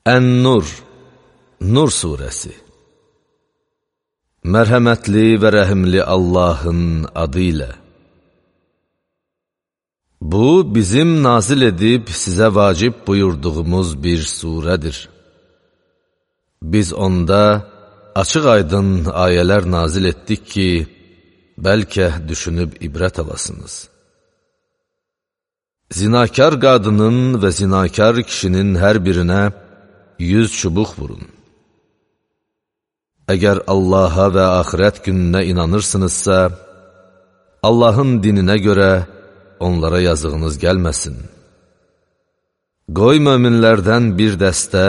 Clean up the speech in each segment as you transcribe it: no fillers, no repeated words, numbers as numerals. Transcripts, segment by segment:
Ən-Nur, Nur surəsi. Mərhəmətli və rəhimli Allahın adı ilə. Bu, bizim nazil edib sizə vacib buyurduğumuz bir surədir. Biz onda açıq aydın ayələr nazil etdik ki, bəlkə düşünüb ibrət alasınız. Zinakar qadının və zinakar kişinin hər birinə 100 çubuq vurun. Əgər Allaha və axirət gününə inanırsınızsa, Allahın dininə görə onlara yazığınız gəlməsin. Qoy möminlərdən bir dəstə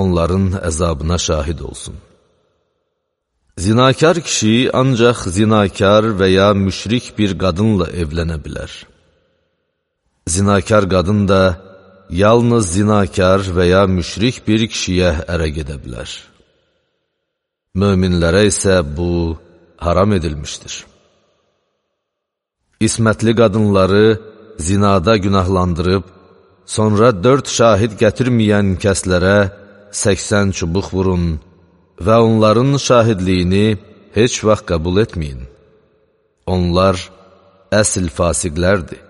onların əzabına şahid olsun. Zinakar kişi ancaq zinakar və ya müşrik bir qadınla evlənə bilər. Zinakar qadın da yalnız zinakar və ya müşrik bir kişiyə ərə gedə bilər. Möminlərə isə bu haram edilmişdir. İsmətli qadınları zinada günahlandırıb, sonra 4 şahid gətirməyən kəslərə 80 çubuq vurun və onların şahidliyini heç vaxt qəbul etməyin. Onlar əsl fasiqlərdir.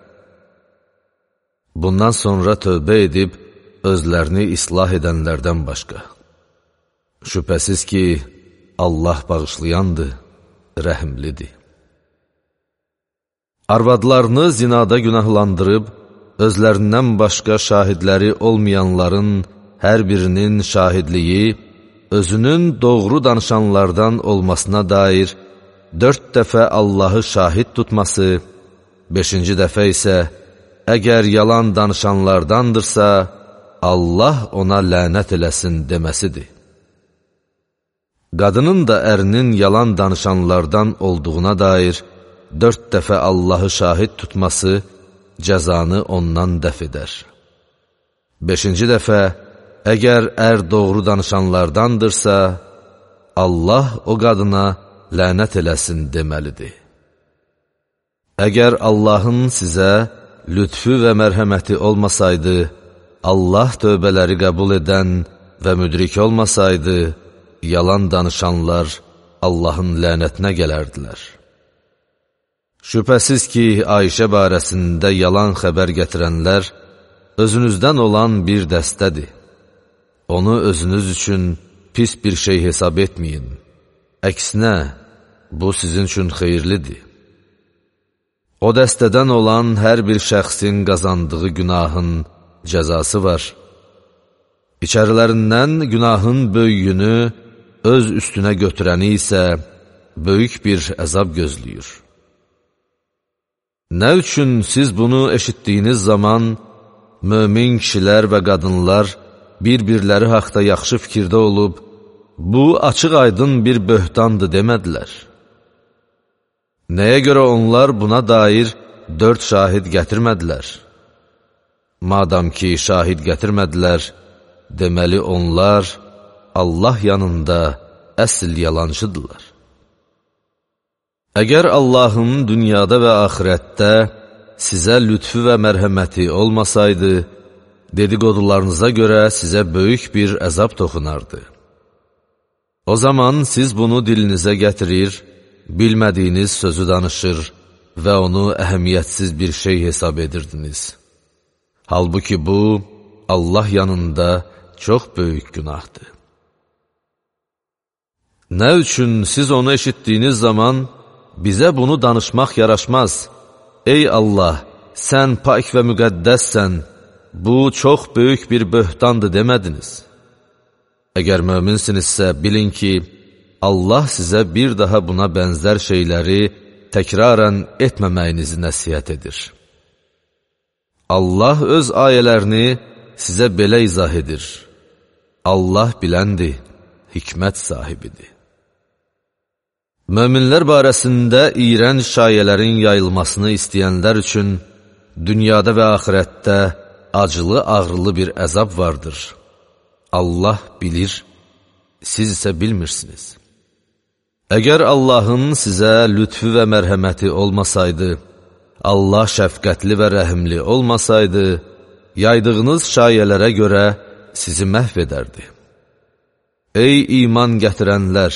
Bundan sonra tövbə edib, özlərini islah edənlərdən başqa. Şübhəsiz ki, Allah bağışlayandır, rəhimlidir. Arvadlarını zinada günahlandırıb, özlərindən başqa şahidləri olmayanların hər birinin şahidliyi, özünün doğru danışanlardan olmasına dair 4 dəfə Allahı şahid tutması, 5-ci dəfə isə, əgər yalan danışanlardandırsa, Allah ona lənət eləsin deməsidir. Qadının da ərinin yalan danışanlardan olduğuna dair 4 dəfə Allahı şahid tutması cəzanı ondan dəf edər. 5-ci dəfə, əgər ər doğru danışanlardandırsa, Allah o qadına lənət eləsin deməlidir. Əgər Allahın sizə lütfü və mərhəməti olmasaydı, Allah tövbələri qəbul edən və müdrik olmasaydı, yalan danışanlar Allahın lənətinə gələrdilər. Şübhəsiz ki, Ayşə barəsində yalan xəbər gətirənlər özünüzdən olan bir dəstədir. Onu özünüz üçün pis bir şey hesab etməyin. Əksinə, bu sizin üçün xeyirlidir. O dəstədən olan hər bir şəxsin qazandığı günahın cəzası var. İçərilərindən günahın böyüyünü öz üstünə götürəni isə böyük bir əzab gözləyir. Nə üçün siz bunu eşitdiyiniz zaman mömin kişilər və qadınlar bir-birləri haqda yaxşı fikirdə olub, bu açıq aydın bir böhtandır demədilər? Nəyə görə onlar buna dair 4 şahid gətirmədilər? Madam ki, şahid gətirmədilər, deməli onlar Allah yanında əsl yalancıdırlar. Əgər Allahın dünyada və axirətdə sizə lütfü və mərhəməti olmasaydı, dedikodularınıza görə sizə böyük bir əzab toxunardı. O zaman siz bunu dilinizə gətirir, bilmədiyiniz sözü danışır və onu əhəmiyyətsiz bir şey hesab edirdiniz. Halbuki bu, Allah yanında çox böyük günahdır. Nə üçün siz onu eşitdiyiniz zaman, bizə bunu danışmaq yaraşmaz? Ey Allah, sən pak və müqəddəssən, bu çox böyük bir böhtandır demədiniz. Əgər möminsinizsə, bilin ki, Allah sizə bir daha buna bənzər şeyləri təkrarən etməməyinizi nəsihət edir. Allah öz ayələrini sizə belə izah edir. Allah biləndir, hikmət sahibidir. Möminlər barəsində iyrənc şayələrin yayılmasını istəyənlər üçün dünyada və axirətdə acılı-ağrılı bir əzab vardır. Allah bilir, siz isə bilmirsiniz. Əgər Allahın sizə lütfü və mərhəməti olmasaydı, Allah şəfqətli və rəhimli olmasaydı, yaydığınız şayələrə görə sizi məhv edərdi. Ey iman gətirənlər!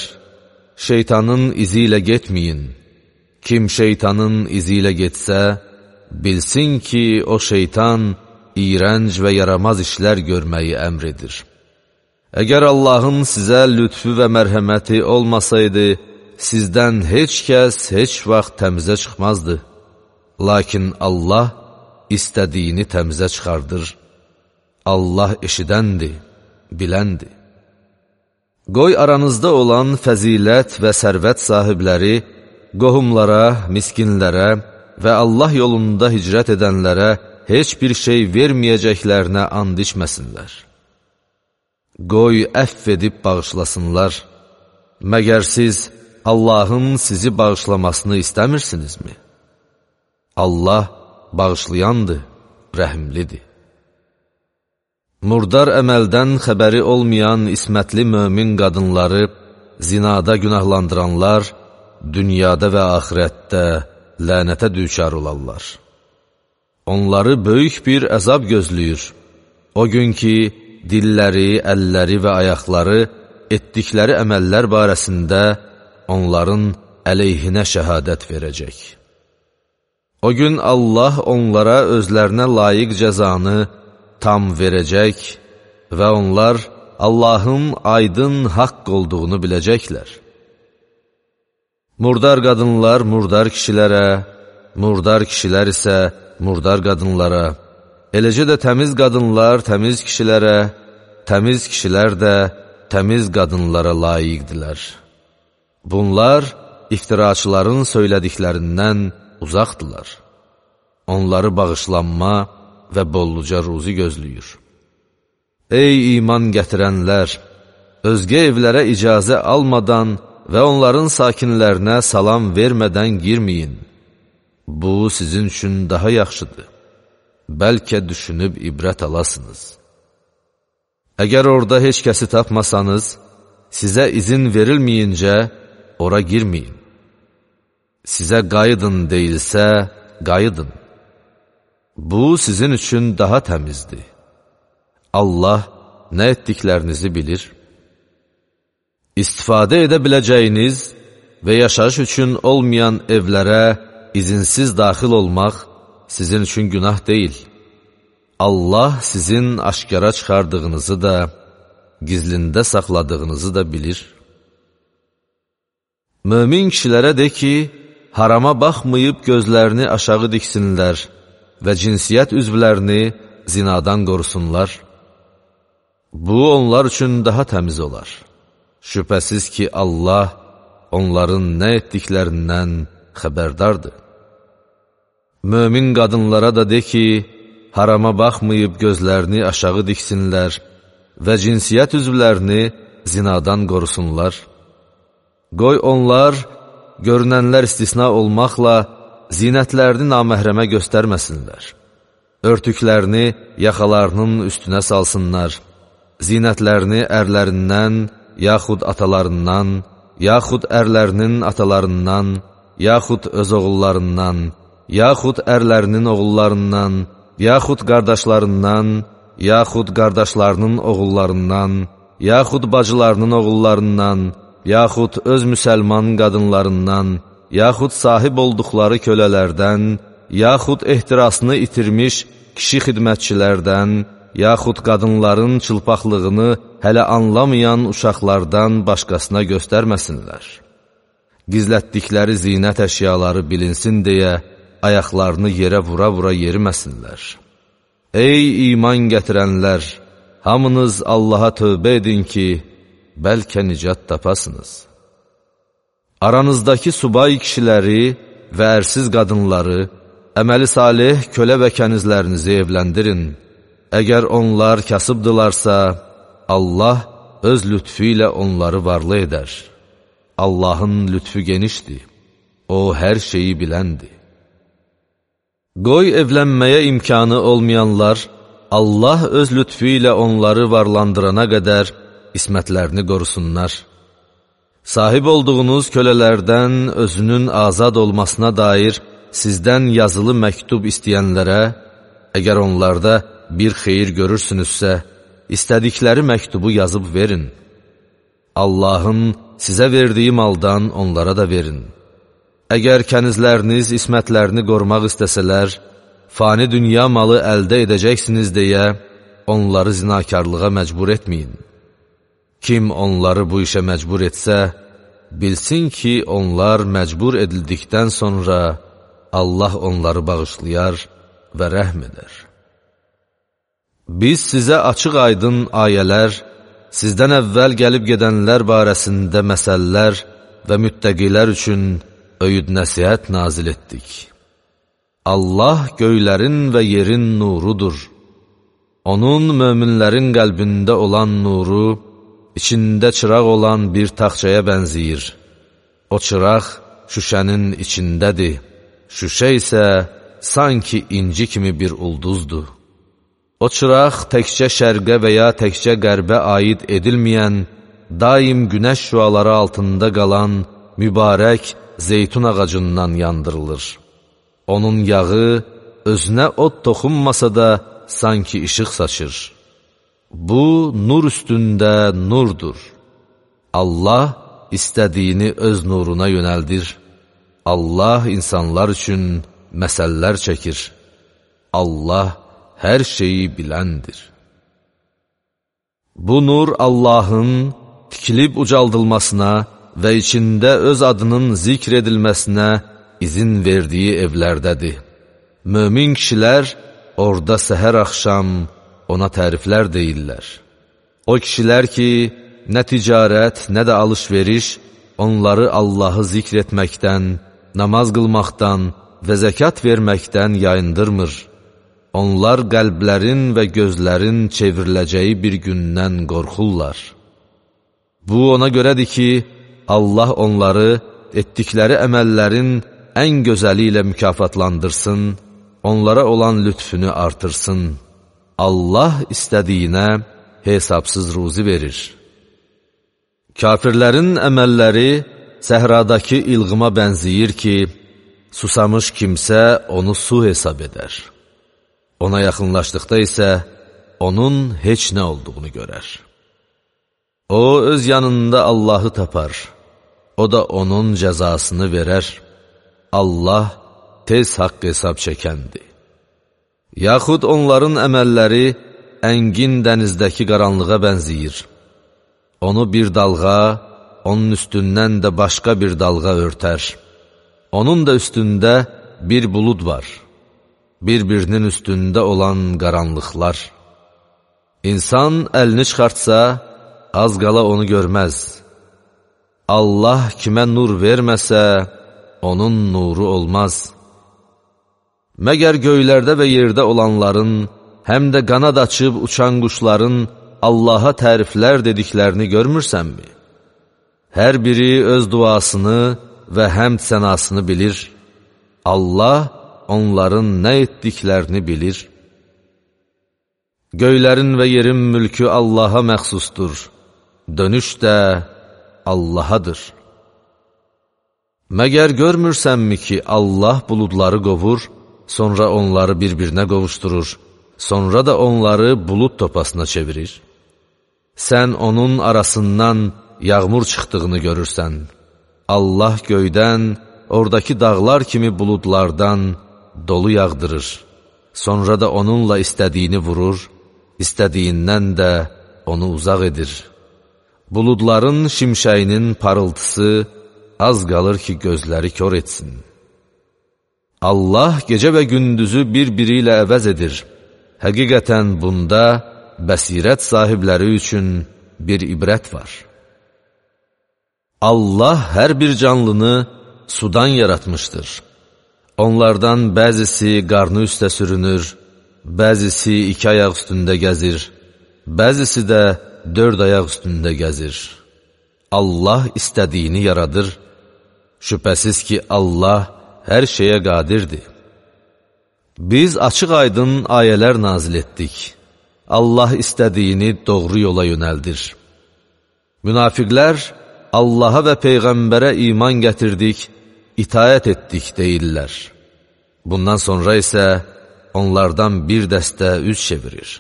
Şeytanın izi ilə getməyin. Kim şeytanın izi ilə getsə, bilsin ki, o şeytan iyrənc və yaramaz işlər görməyi əmr edir. Əgər Allahın sizə lütfü və mərhəməti olmasaydı, sizdən heç kəs heç vaxt təmizə çıxmazdı. Lakin Allah istədiyini təmizə çıxardır. Allah eşidəndir, biləndir. Qoy aranızda olan fəzilət və sərvət sahibləri qohumlara, miskinlərə və Allah yolunda hicrət edənlərə heç bir şey verməyəcəklərinə and içməsinlər. Qoy əfv edib bağışlasınlar. Məgər siz Allahın sizi bağışlamasını istəmirsinizmi? Allah bağışlayandır, rəhimlidir. Murdar əməldən xəbəri olmayan ismətli mömin qadınları zinada günahlandıranlar dünyada və axirətdə lənətə düçar olarlar. Onları böyük bir əzab gözləyir. O gün ki, dilləri, əlləri və ayaqları etdikləri əməllər barəsində onların əleyhinə şəhadət verəcək. O gün Allah onlara özlərinə layiq cəzanı tam verəcək və onlar Allahın aydın haqq olduğunu biləcəklər. Murdar qadınlar murdar kişilərə, murdar kişilər isə murdar qadınlara, eləcə də təmiz qadınlar təmiz kişilərə, təmiz kişilər də təmiz qadınlara layiqdilər. Bunlar iftiraçıların söylədiklərindən uzaqdılar. Onları bağışlanma və bolluca ruzi gözləyir. Ey iman gətirənlər! Özgə evlərə icazə almadan və onların sakinlərinə salam vermədən girməyin. Bu, sizin üçün daha yaxşıdır. Bəlkə düşünüb ibrət alasınız. Əgər orada heç kəsi tapmasanız, sizə izin verilməyincə ora girməyin. Sizə qayıdın deyilsə, qayıdın. Bu, sizin üçün daha təmizdir. Allah nə etdiklərinizi bilir. İstifadə edə biləcəyiniz və yaşayış üçün olmayan evlərə izinsiz daxil olmaq sizin üçün günah deyil. Allah sizin aşkara çıxardığınızı da, gizlində saxladığınızı da bilir. Mömin kişilərə de ki, harama baxmayıb gözlərini aşağı diksinlər və cinsiyyət üzvlərini zinadan qorusunlar. Bu, onlar üçün daha təmiz olar. Şübhəsiz ki, Allah onların nə etdiklərindən xəbərdardır. Mömin qadınlara da de ki, harama baxmayıb gözlərini aşağı diksinlər və cinsiyyət üzvlərini zinadan qorusunlar. Qoy onlar, görünənlər istisna olmaqla, zinətlərini naməhrəmə göstərməsinlər. Örtüklərini yaxalarının üstünə salsınlar. Zinətlərini ərlərindən, yaxud atalarından, yaxud ərlərinin atalarından, yaxud öz oğullarından, yaxud ərlərinin oğullarından, yaxud qardaşlarından, yaxud qardaşlarının oğullarından, yaxud bacılarının oğullarından, yaxud öz müsəlman qadınlarından, yaxud sahib olduqları kölələrdən, yaxud ehtirasını itirmiş kişi xidmətçilərdən, yaxud qadınların çılpaqlığını hələ anlamayan uşaqlardan başqasına göstərməsinlər. Gizlətdikləri zinət əşyaları bilinsin deyə ayaqlarını yerə vura-vura yeriməsinlər. Ey iman gətirənlər! Hamınız Allaha tövbə edin ki, bəlkə nicat tapasınız. Aranızdakı subay kişiləri və ərsiz qadınları, əməli salih kölə və kənizlərinizi evləndirin. Əgər onlar kasıbdılarsa, Allah öz lütfü ilə onları varlı edər. Allahın lütfü genişdir, O hər şeyi biləndir. Qoy evlənməyə imkanı olmayanlar, Allah öz lütfü ilə onları varlandırana qədər ismətlərini qorusunlar. Sahib olduğunuz kölələrdən özünün azad olmasına dair sizdən yazılı məktub istəyənlərə, əgər onlarda bir xeyir görürsünüzsə, istədikləri məktubu yazıb verin. Allahın sizə verdiyi maldan onlara da verin. Əgər kənizləriniz ismətlərini qorumaq istəsələr, fani dünya malı əldə edəcəksiniz deyə onları zinakarlığa məcbur etməyin. Kim onları bu işə məcbur etsə, bilsin ki, onlar məcbur edildikdən sonra Allah onları bağışlayar və rəhm edər. Biz sizə açıq-aydın ayələr, sizdən əvvəl gəlib gedənlər barəsində məsələlər və müttəqilər üçün öyüd nəsihət nazil etdik. Allah göylərin və yerin nurudur. Onun möminlərin qəlbində olan nuru, içində çıraq olan bir taxçaya bənziyir. O çıraq şüşənin içindədir. Şüşə isə sanki inci kimi bir ulduzdur. O çıraq təkcə şərqə və ya təkcə qərbə aid edilməyən, daim günəş şüaları altında qalan mübarək zeytun ağacından yandırılır. Onun yağı özünə od toxunmasa da sanki işıq saçır. Bu, nur üstündə nurdur. Allah istədiyini öz nuruna yönəldir. Allah insanlar üçün məsəllər çəkir. Allah hər şeyi biləndir. Bu nur Allahın tikilib ucaldılmasına və içində öz adının zikr edilməsinə izin verdiyi evlərdədir. Mömin kişilər orada səhər-axşam ona təriflər deyirlər. O kişilər ki, nə ticarət, nə də alış-veriş onları Allahı zikr etməkdən, namaz qılmaqdan və zəkat verməkdən yayındırmır. Onlar qəlblərin və gözlərin çevriləcəyi bir gündən qorxurlar. Bu ona görədir ki, Allah onları etdikləri əməllərin ən gözəli ilə mükafatlandırsın, onlara olan lütfünü artırsın. Allah istədiyinə hesabsız ruzi verir. Kafirlərin əməlləri səhradakı ilğıma bənziyir ki, susamış kimsə onu su hesab edər. Ona yaxınlaşdıqda isə onun heç nə olduğunu görər. O, öz yanında Allahı tapar. O da onun cəzasını verər. Allah tez haqq hesab çəkəndir. Yaxud onların əməlləri əngin dənizdəki qaranlığa bənziyir. Onu bir dalğa, onun üstündən də başqa bir dalğa örtər. Onun da üstündə bir bulud var. Bir-birinin üstündə olan qaranlıqlar. İnsan əlini çıxartsa, az qala onu görməz. Allah kimə nur verməsə, onun nuru olmaz. Məgər göylərdə və yerdə olanların, həm də qanad açıb uçan quşların Allaha təriflər dediklərini görmürsənmi? Hər biri öz duasını və həmd sənasını bilir. Allah onların nə etdiklərini bilir. Göylərin və yerin mülkü Allaha məxsusdur. Dönüş də Allahadır. Məgər görmürsənmi ki, Allah buludları qovur, sonra onları bir-birinə qovuşdurur, sonra da onları bulud topasına çevirir? Sən onun arasından yağmur çıxdığını görürsən. Allah göydən, oradakı dağlar kimi buludlardan dolu yağdırır. Sonra da onunla istədiyini vurur, istədiyindən də onu uzaq edir. Buludların şimşəyinin parıltısı az qalır ki, gözləri kör etsin. Allah gecə və gündüzü bir-biri ilə əvəz edir. Həqiqətən bunda bəsirət sahibləri üçün bir ibrət var. Allah hər bir canlını sudan yaratmışdır. Onlardan bəzisi qarnı üstə sürünür, bəzisi 2 ayaq üstündə gəzir, bəzisi də 4 ayaq üstündə gəzir. Allah istədiyini yaradır. Şübhəsiz ki, Allah hər şeyə qadirdir. Biz açıq-aydın ayələr nazil etdik. Allah istədiyini doğru yola yönəldir. Münafiqlər Allaha və Peyğəmbərə iman gətirdik, itaət etdik deyirlər. Bundan sonra isə onlardan bir dəstə üz çevirir.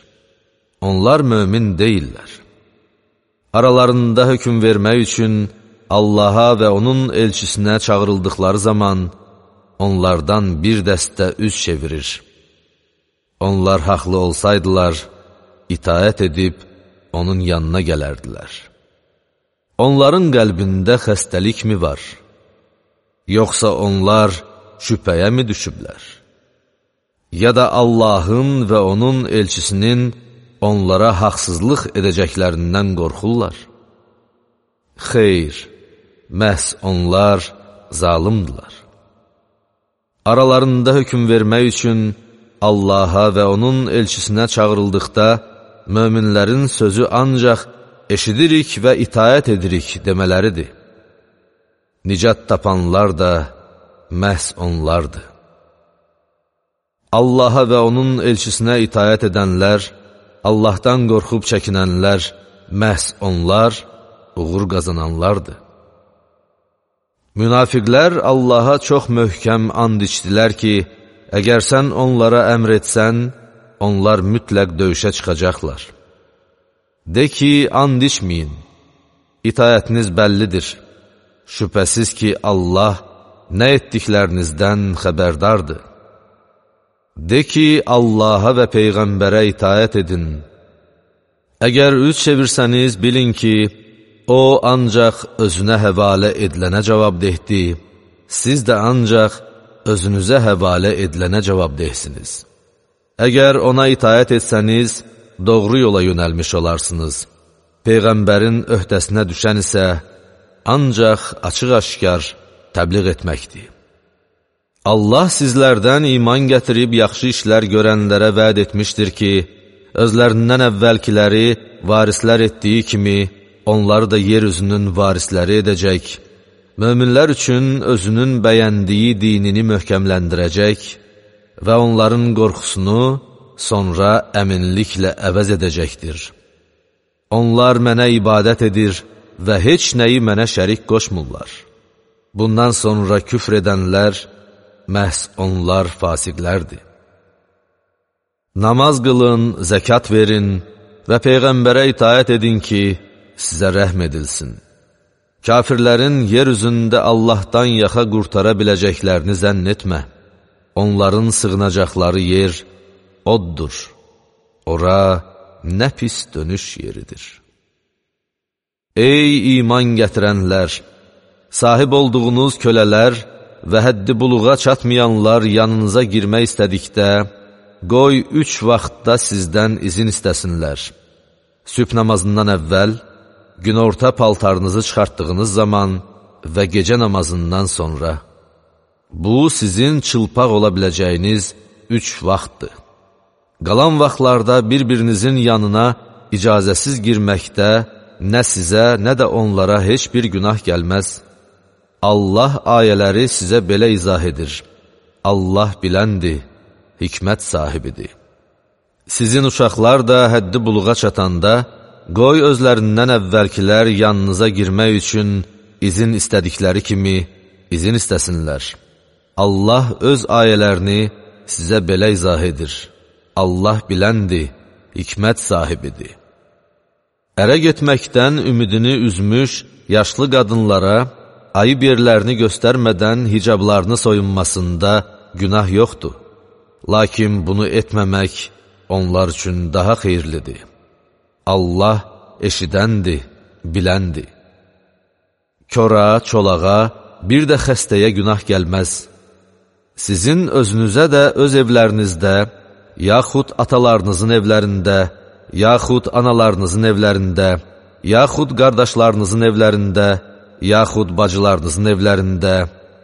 onlar mömin deyillər. Aralarında hökm vermək üçün Allaha və onun elçisinə çağırıldıqları zaman onlardan bir dəstə üz çevirir. Onlar haqlı olsaydılar, itaət edib onun yanına gələrdilər. Onların qəlbində xəstəlikmi var? Yoxsa onlar şübhəyə mi düşüblər? Ya da Allahın və onun elçisinin onlara haqsızlıq edəcəklərindən qorxurlar? Xeyr, məhz onlar zalimdilər. Aralarında hökm vermək üçün Allaha və onun elçisinə çağırıldıqda, möminlərin sözü ancaq eşidirik və itaət edirik demələridir. Nicat tapanlar da məhz onlardır. Allaha və onun elçisinə itaət edənlər, Allahdan qorxub çəkinənlər, məhz onlar uğur qazananlardır. Münafiqlər Allaha çox möhkəm and içdilər ki, əgər sən onlara əmr etsən, onlar mütləq döyüşə çıxacaqlar. De ki, and içməyin, itaətiniz bəllidir. Şübhəsiz ki, Allah nə etdiklərinizdən xəbərdardır. De ki, Allaha və Peyğəmbərə itaət edin. Əgər üz çevirsəniz, bilin ki, o ancaq özünə həvalə edilənə cavabdehdir, siz də ancaq özünüzə həvalə edilənə cavabdehsiniz. Əgər ona itaət etsəniz, doğru yola yönəlmiş olarsınız. Peyğəmbərin öhdəsinə düşən isə ancaq açıq-aşkar təbliğ etməkdir. Allah sizlərdən iman gətirib yaxşı işlər görənlərə vəd etmişdir ki, özlərindən əvvəlkiləri varislər etdiyi kimi, onları da yer üzünün varisləri edəcək, möminlər üçün özünün bəyəndiyi dinini möhkəmləndirəcək və onların qorxusunu sonra əminliklə əvəz edəcəkdir. Onlar mənə ibadət edir və heç nəyi mənə şərik qoşmurlar. Bundan sonra küfr edənlər, məhz onlar fasiqlərdir. Namaz qılın, zəkat verin və Peyğəmbərə itaət edin ki, sizə rəhm edilsin. Kafirlərin yer üzündə Allahdan yaxa qurtara biləcəklərini zənn etmə. Onların sığınacaqları yer oddur. Ora nə pis dönüş yeridir. Ey iman gətirənlər! Sahib olduğunuz kölələr və həddi buluğa çatmayanlar yanınıza girmək istədikdə, qoy 3 vaxtda sizdən izin istəsinlər. Sübh namazından əvvəl, günorta paltarınızı çıxartdığınız zaman və gecə namazından sonra. Bu, sizin çılpaq ola biləcəyiniz 3 vaxtdır. Qalan vaxtlarda bir-birinizin yanına icazəsiz girməkdə nə sizə, nə də onlara heç bir günah gəlməz. Allah ayələri sizə belə izah edir. Allah biləndir, hikmət sahibidir. Sizin uşaqlar da həddi buluğa çatanda, qoy özlərindən əvvəlkilər yanınıza girmək üçün izin istədikləri kimi izin istəsinlər. Allah öz ayələrini sizə belə izah edir. Allah biləndir, hikmət sahibidir. Ərə getməkdən ümidini üzmüş yaşlı qadınlara ayıb yerlərini göstərmədən hicablarını soyunmasında günah yoxdur. Lakin bunu etməmək onlar üçün daha xeyirlidir. Allah eşidəndir, biləndir. Kora, çolağa, bir də xəstəyə günah gəlməz. Sizin özünüzə də öz evlərinizdə, yaxud atalarınızın evlərində, yaxud analarınızın evlərində, yaxud qardaşlarınızın evlərində, yaxud bacılarınızın evlərində,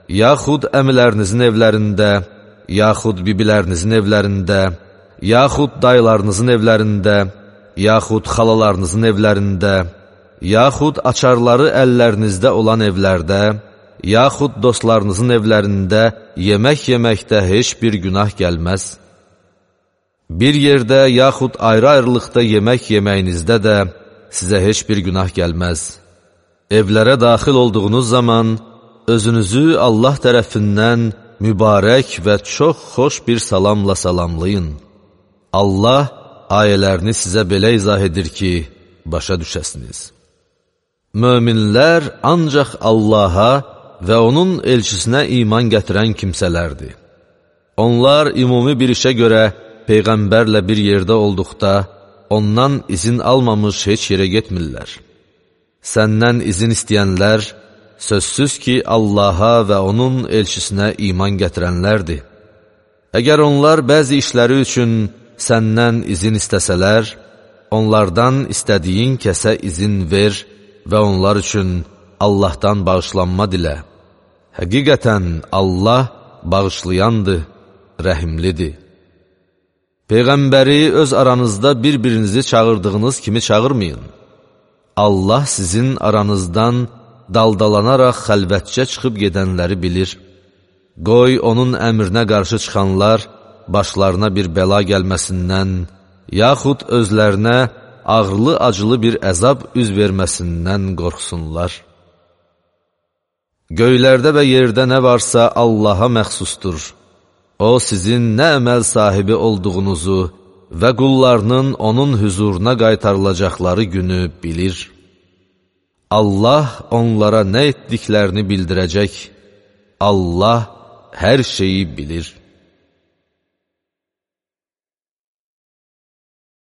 yaxud əmilərinizin evlərində, yaxud bibilərinizin evlərində, yaxud dayılarınızın evlərində, yaxud xalalarınızın evlərində, yaxud açarları əllərinizdə olan evlərdə, yaxud dostlarınızın evlərində yemək yeməkdə heç bir günah gəlməz. Bir yerdə yaxud ayrı-ayrılıqda yemək yeməyinizdə də sizə heç bir günah gəlməz. Evlərə daxil olduğunuz zaman özünüzü Allah tərəfindən mübarək və çox xoş bir salamla salamlayın. Allah ayələrini sizə belə izah edir ki, başa düşəsiniz. Möminlər ancaq Allaha və onun elçisinə iman gətirən kimsələrdir. Onlar ümumi bir işə görə Peyğəmbərlə bir yerdə olduqda, ondan izin almamış heç yerə getmirlər. Səndən izin istəyənlər, sözsüz ki, Allaha və onun elçisinə iman gətirənlərdir. Əgər onlar bəzi işləri üçün səndən izin istəsələr, onlardan istədiyin kəsə izin ver və onlar üçün Allahdan bağışlanma dilə. Həqiqətən Allah bağışlayandır, rəhimlidir. Peyğəmbəri öz aranızda bir-birinizi çağırdığınız kimi çağırmayın. Allah sizin aranızdan daldalanaraq xəlvətcə çıxıb gedənləri bilir. Qoy onun əmrinə qarşı çıxanlar başlarına bir bəla gəlməsindən, yaxud özlərinə ağırlı-acılı bir əzab üz verməsindən qorxsunlar. Göylərdə və yerdə nə varsa Allaha məxsusdur. O, sizin nə əməl sahibi olduğunuzu və qullarının onun hüzuruna qaytarılacaqları günü bilir. Allah onlara nə etdiklərini bildirəcək. Allah hər şeyi bilir.